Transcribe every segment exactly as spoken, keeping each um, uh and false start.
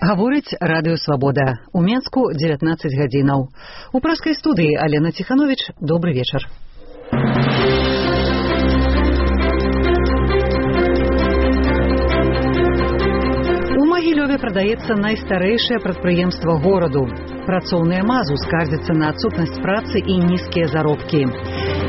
Гаворыць радыё Свабода. У Менску дзевятнаццаць гадзінаў. У праскай студыі Алена Ціхановіч. Добры вечар. У Магілёве прадаецца найстарэйшае прадпрыемства гораду. Працоўныя мазу скардзяцца на адсутнасць працы і нізкія заробкі.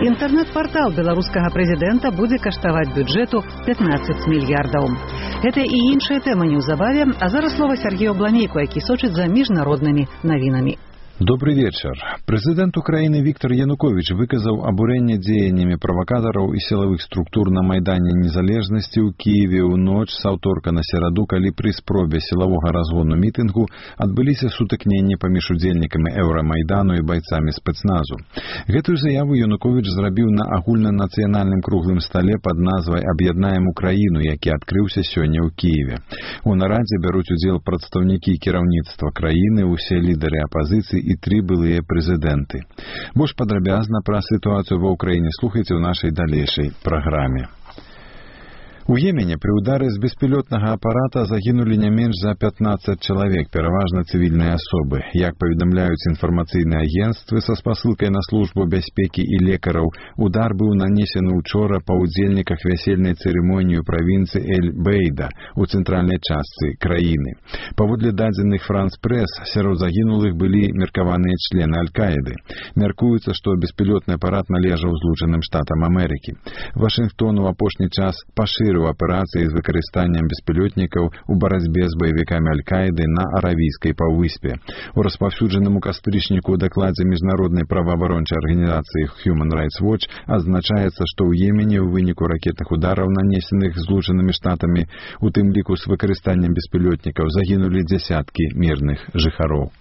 Інтэрнэт-партал беларускага прэзідэнта будзе каштаваць бюджэту пятнаццаць мільярдаў. Гэта і іншая тэма неўзабаве, а зараз слова Сергею Бламейку, які сочыць за міжнароднымі навінамі. Добрый вечер. Президент Украины Виктор Янукович выказал обурение деяниями провокаторов и силовых структур на Майдане Незалежности у Киеве у ночь с аўторка на сераду, калі при спробе силового разгону мітынгу адбыліся сутыкненні паміж удзельнікамі Еўрамайдану и бойцами спецназу. Гэтую заяву Янукович зрабіў на агульнанацыянальным круглым столе под назвай «Аб'яднаем Украіну», які адкрыўся сёння ў Киеве. У нарадзе бяруць удзел прадстаўнікі кіраўніцтва краіны, усе лідары апазіцыі и три былые президенты. Больш падрабязна пра ситуацию ва Украине слухайте в нашей далейшей программе. У Йемене при ударе з беспілотнага апарата загинули не менш за пятнаццаць чалавек, пераважна цивільныя асобы. Як паведамляюць інфармацыйныя агенцтвы са спасылкай на службу бяспекі і лекараў, удар быў нанесены учора па ўдзельніках вясельнай цырымоніі ў правінцыі Эль-Бейда у цэнтральнай частцы краіны. Паводле дадзеных Франс-Прэс, сярод загінулых былі меркаваныя члены Аль-Каіды. Мяркуецца, што беспілотны апарат належаў Злучаным Штатам Амерыкі. Вашынгтон у апошні час пашырыў аперацыі з выкарыстаннем беспілотнікаў у барацьбе з баевікамі Аль-Каіды на Аравійскай паўвыспе. У распаўсюджаным у кастрычніку ў дакладзе міжнароднай праваабарончай арганізацыі Human Rights Watch адзначаецца, што ў Йемене ў выніку ракетных удараў, нанесеных Злучанымі Штатамі, у тым ліку з выкарыстаннем беспілотнікаў, загінулі дзясяткі мірных жыхароў.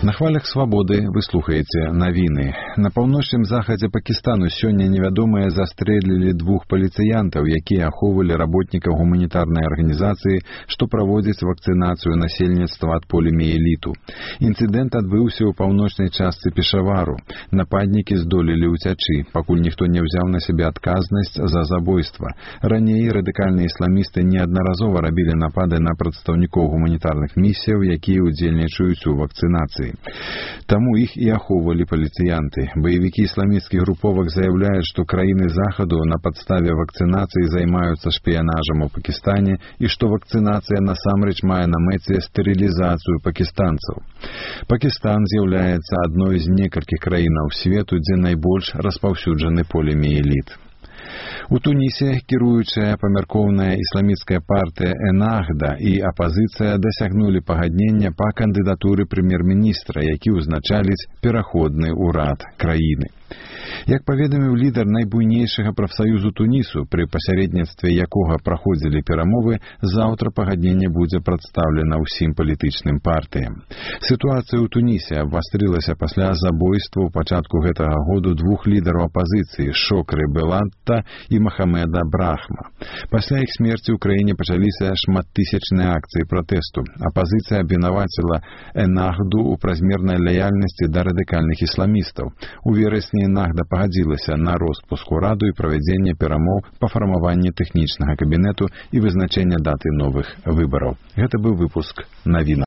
На хвалях свабоды вы слухаеце навіны. На паўночным захадзе Пакістану сёння невядомыя застрэлілі двух паліцыянтаў, якія ахоўвалі работнікаў гуманітарнай арганізацыі, што праводзіць вакцынацыю насельніцтва ад поліміеліту. Інцыдэнт адбыўся ў паўночнай частцы Пешавару. Нападнікі здолелі ўцячы, пакуль ніхто не ўзяў на сябе адказнасць за забойства. Раней радыкальныя ісламісты неаднаразова рабілі напады на прадстаўнікоў гуманітарных місіяў, якія ўдзельнічаюць у вакцынацыі. Таму іх і ахоўвалі паліцыянты. Баевікі ісламісцкіх груповак заяўляюць, што краіны Захаду на падставе вакцынацыі займаюцца шпіянажам у Пакістане і што вакцынацыя насамрэч мае на мэце стэрылізацыю пакістанцаў. Пакістан з'яўляецца адной з некалькіх краінаў свету, дзе найбольш распаўсюджаны поліміеліт. У Тунісе кіруючая памяркоўная ісламісцкая партыя Эннахда і апазіцыя дасягнулі пагаднення па кандыдатуры прэм'ер-міністра, які ўзначаліць пераходны ўрад краіны. Як паведаміў лідар найбуйнейшага прафсаюзу Тунісу, пры пасяредніцтве якога праходзілі перамовы, заўтра пагадненне будзе прадстаўлена ўсім палітычным партыям. Сітуацыя ў Тунісе абвастрылася пасля забойства ў пачатку гэтага году двух лідараў апазіцыі Шокры Белатта і Махамеда Брахма. Пасля іх смерці ў краіне пачаліся шматтысячныя акцыі пратэсту. Апазіцыя абвінаваціла Эннахду ў празмернай лаяльнасці да радыкальных ісламістаў. У верасні Эннахда пагадзілася на роспуск ураду і правядзенне перамоў па фармаванні тэхнічнага кабінету і вызначэння даты новых выбараў. Гэта быў выпуск навін.